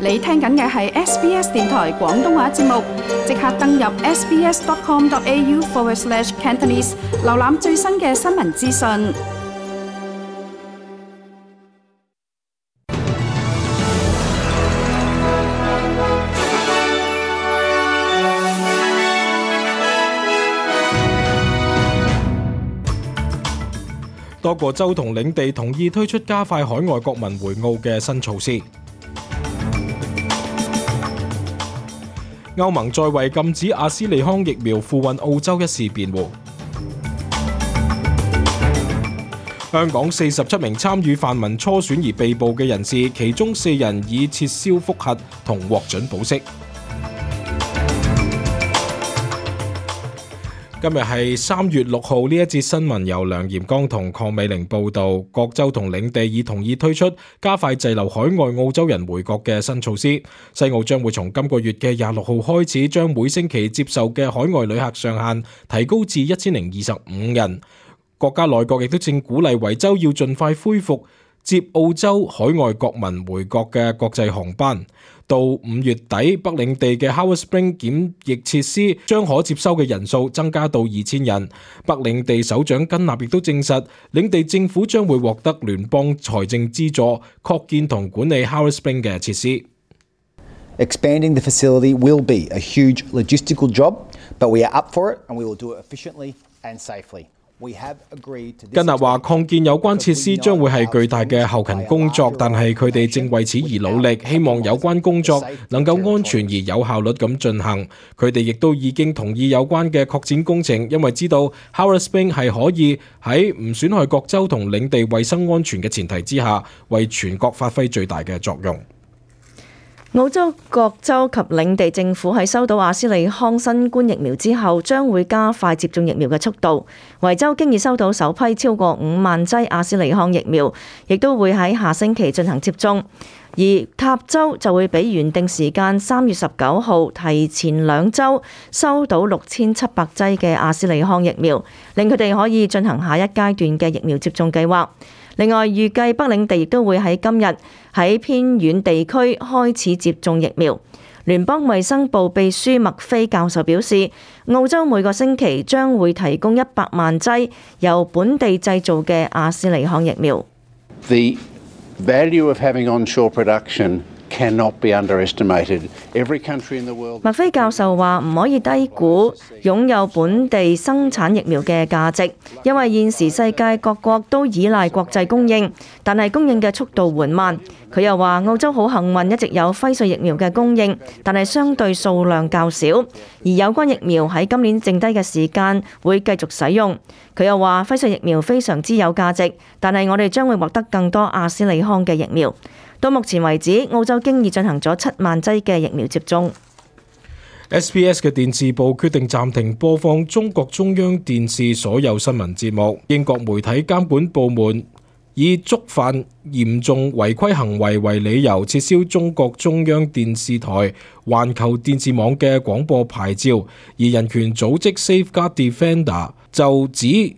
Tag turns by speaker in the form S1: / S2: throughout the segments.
S1: 你聽緊嘅係 SBS 電台廣東話節目，即刻登入 sbs.com.au/Cantonese 瀏覽最新嘅新聞資訊。
S2: 多個州同領地同意推出加快海外國民回澳嘅新措施。歐盟再為禁止阿斯利康疫苗付運澳洲一事辯護。香港47名參與泛民初選而被捕嘅人士，其中4人已撤銷覆核同獲准保釋。今日係3月6號，呢一節新聞由梁炎剛同鄺美玲報道。各州同領地已同意推出加快滯留海外澳洲人回國嘅新措施。西澳將會從今個月嘅26號開始，將每星期接受嘅海外旅客上限提高至1025人。國家內閣亦都正鼓勵維州要盡快恢復接澳洲海外國民回國嘅國際航班。到5月底，北領地嘅 Howard Spring 檢疫設施將可接收嘅人數增加到2000人。北領地首長根納亦都證實，領地政府將會獲得聯邦財政資助，擴建同管理 Howard Spring 嘅設施。
S3: Expanding the facility will be a huge logistical job, but we are up for it and we will do it efficiently and safely.根納話，擴建有關設施將會係巨大嘅後勤工作，但係佢哋正為此而努力，希望有關工作能夠安全而有效率咁進行。佢哋亦都已經同意有關嘅擴展工程，因為知道 Howard Spring 係可以喺唔損害各州同領地衛生安全嘅前提之下，為全國發揮最大嘅作用。
S4: 澳洲各州及領地政府喺收到阿斯利康新冠疫苗之後，將會加快接種疫苗嘅速度。維州經已收到首批超過5萬劑阿斯利康疫苗，亦都會喺下星期進行接種。而塔州就會比原定時間3月19號提前2週收到6700劑嘅阿斯利康疫苗，令佢哋可以進行下一階段嘅疫苗接種計劃。另外，預計北領地亦都會喺今日喺偏遠地區開始接種疫苗。聯邦衛生部秘書麥菲教授表示，澳洲每個星期將會提供100萬劑由本地製造嘅阿斯利康疫苗。
S5: The value of having onshore production cannot be underestimated. Every country in the world.
S4: 麥菲教授話唔可以低估擁有本地生產疫苗嘅價值，因為現時世界各國都依賴國際供應，但係供應嘅速度緩慢。佢又話澳洲好幸運一直有輝瑞疫苗嘅供應，但係相對數量較少，而有關疫苗喺今年剩低嘅時間會繼續使用。佢又話輝瑞疫苗非常之有價值，但係我哋將會獲得更多阿斯利康嘅疫苗。到目前為止，澳洲經已進行咗7萬劑嘅疫苗接種。
S2: SBS 嘅電視部決定暫停播放中國中央電視所有新聞節目。英國媒體監管部門以觸犯嚴重違規行為為理由，撤銷中國中央電視台環球電視網嘅廣播牌照。而人權組織 Safeguard Defender 就指，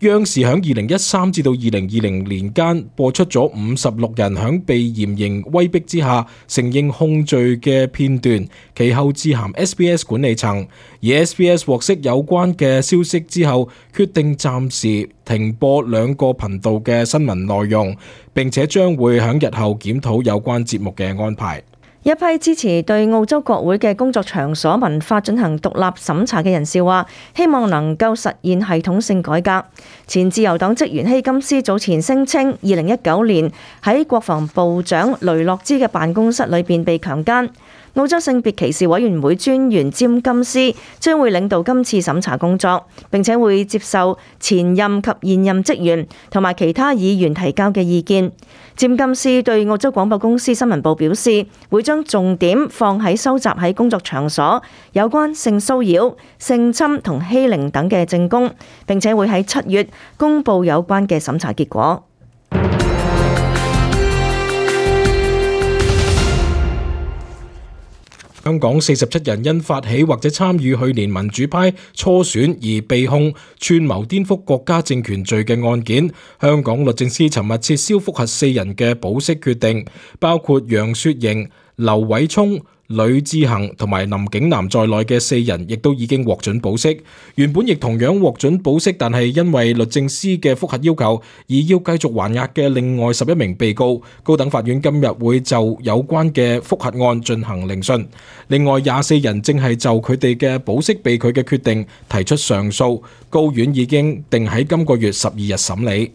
S2: 央視響2013至到2020年間播出咗56人響被嚴刑威逼之下承認控罪嘅片段，其後致函 SBS 管理層，而 SBS 獲悉有關嘅消息之後，決定暫時停播2個頻道嘅新聞內容，並且將會響日後檢討有關節目嘅安排。
S4: 一批支持對澳洲國會嘅工作場所文化進行獨立審查嘅人士話，希望能夠實現系統性改革。前自由黨職員希金斯早前聲稱2019年喺國防部長雷諾茲嘅辦公室裏邊被強姦。澳洲性別歧視委員會專員詹金斯將會領導今次審查工作，並且會接受前任及現任職員同埋其他議員提交嘅意見。詹金斯對澳洲廣播公司新聞部表示，會將重點放喺收集喺工作場所有關性騷擾、性侵同欺凌等嘅證供，並且會喺7月公佈有關嘅審查結果。
S2: 香港47人因發起或者參與去年民主派初選而被控串謀顛覆國家政權罪嘅案件，香港律政司尋日撤銷覆核4人嘅保釋決定，包括楊雪盈、劉偉聰、呂志恒同埋林景南在內嘅4人亦都已經獲准保釋。原本亦同樣獲准保釋，但係因為律政司嘅覆核要求而要繼續還押嘅另外11名被告，高等法院今日會就有關嘅覆核案進行聆訊。另外24人正係就佢哋嘅保釋被拒嘅決定提出上訴，高院已經定喺今個月12日審理。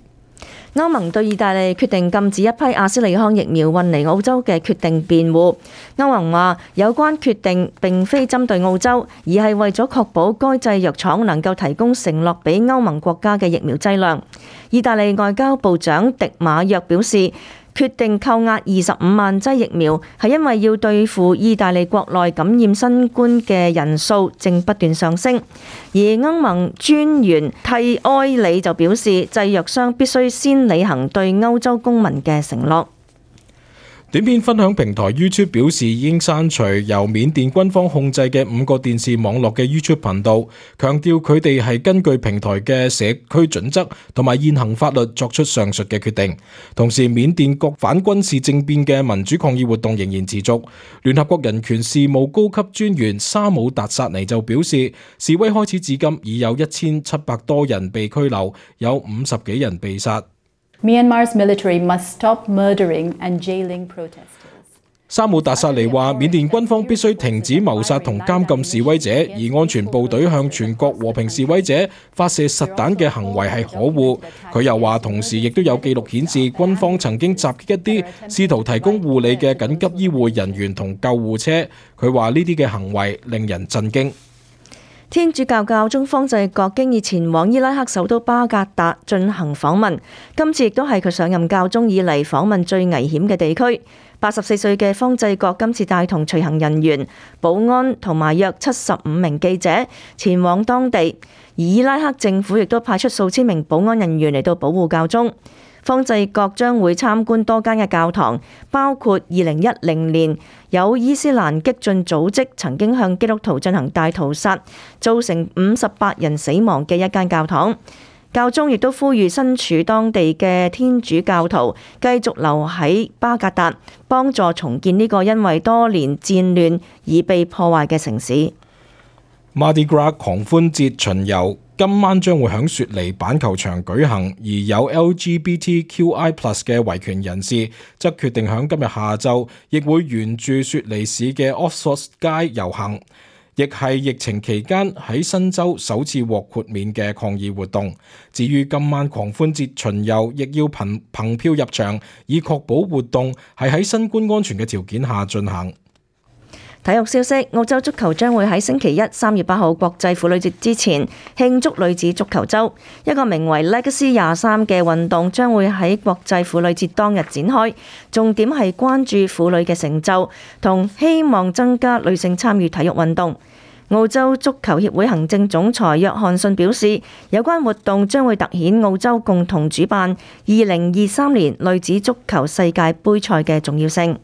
S4: 歐盟對意大利決定禁止一批阿斯利康疫苗運嚟澳洲嘅決定辯護。歐盟話有關決定並非針對澳洲，而係為咗確保該製藥廠能夠提供承諾俾歐盟國家嘅疫苗劑量。意大利外交部長迪馬約表示，決定扣押25萬劑疫苗係因為要對付意大利國內感染新冠嘅人數正不斷上升，而歐盟專員蒂埃里就表示，製藥商必須先履行對歐洲公民嘅承諾。
S2: 短片分享平台 YouTube 表示已經刪除由緬甸軍方控制嘅5個電視網絡嘅 YouTube 頻道，強調佢哋係根據平台嘅社區準則同埋現行法律作出上述嘅決定。同時，緬甸各反軍事政變嘅民主抗議活動仍然持續。聯合國人權事務高級專員沙姆達薩尼就表示，示威開始至今已有1700多人被拘留，有50幾人被殺。
S6: Myanmar's military must stop murdering and jailing protesters.
S2: 沙姆達薩尼話，緬甸軍方必須停止謀殺同監禁示威者，而安全部隊向全國和平示威者發射實彈嘅行為係可惡。佢又話，同時亦都有記錄顯示，軍方曾經襲擊一啲試圖提供護理嘅緊急醫護人員同救護車。佢話呢啲嘅行為令人震驚。
S4: 天主教教宗方濟各經已前往伊拉克首都巴格達進行訪問，今次亦都係佢上任教宗以嚟訪問最危險嘅地區。84歲嘅方濟各今次帶同隨行人員、保安同埋約75名記者前往當地，而伊拉克政府亦都派出數千名保安人員嚟到保護教宗。方濟各將會參觀多間嘅教堂，包括2010年有伊斯蘭激進組織曾經向基督徒進行大屠殺，造成58人死亡嘅一間教堂。教宗亦都呼籲身處當地嘅天主教徒繼續留喺巴格達，幫助重建呢個因為多年戰亂而被破壞嘅城市。
S2: Mardi Gras 狂歡節巡遊今晚將會喺雪梨板球場舉行，而有 LGBTQI+ 嘅維權人士則決定喺今日下晝亦會沿住雪梨市嘅 Oxford 街遊行，亦係疫情期間喺新州首次獲豁免嘅抗議活動。至於今晚狂歡節巡遊，亦要憑票入場，以確保活動係喺新冠安全嘅條件下進行。
S4: 體育消息，澳洲足球將會喺星期一3月8號國際婦女節之前慶祝女子足球週。一個名為 Legacy 23嘅運動將會喺國際婦女節當日展開，重點係關注婦女嘅成就同希望增加女性參與體育運動。澳洲足球協會行政總裁約翰遜表示，有關活動將會凸顯澳洲共同主辦2023年女子足球世界盃賽嘅重要性。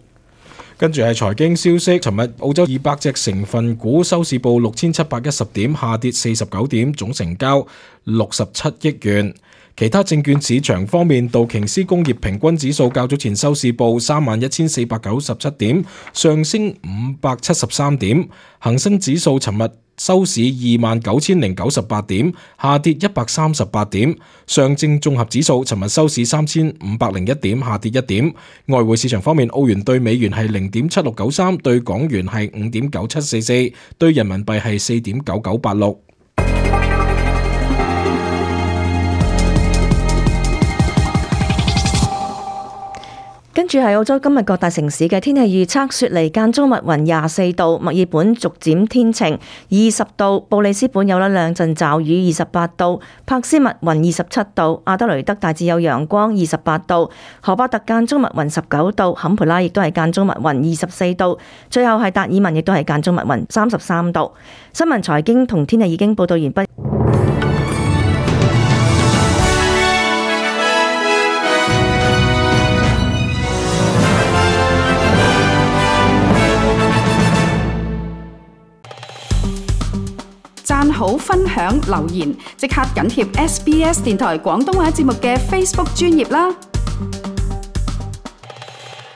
S2: 跟住係財經消息，尋日澳洲200隻成分股收市報6710點，下跌49點，總成交67億元。其他證券市場方面，道瓊斯工業平均指數較早前收市報31,497點，上升573點。恒生指數尋日收市29,098點，下跌138點。上證綜合指數尋日收市3,501點，下跌1點。外匯市場方面，澳元對美元係0.7693，對港元係5.9744，對人民幣係4.9986。
S4: 跟住係澳洲今日各大城市嘅天氣預測：雪梨間中密雲24度，墨爾本逐漸天晴20度，布里斯本有一兩陣驟雨28度，珀斯密雲27度，阿德雷德大致有陽光28度，荷巴特間中密雲19度，坎培拉亦都係間中密雲24度，最後係達爾文亦都係間中密雲33度。新聞財經同天氣已經報道完畢。
S1: 好、分享、留言，即刻緊貼SBS 電台廣東話節目嘅 Facebook 專頁啦！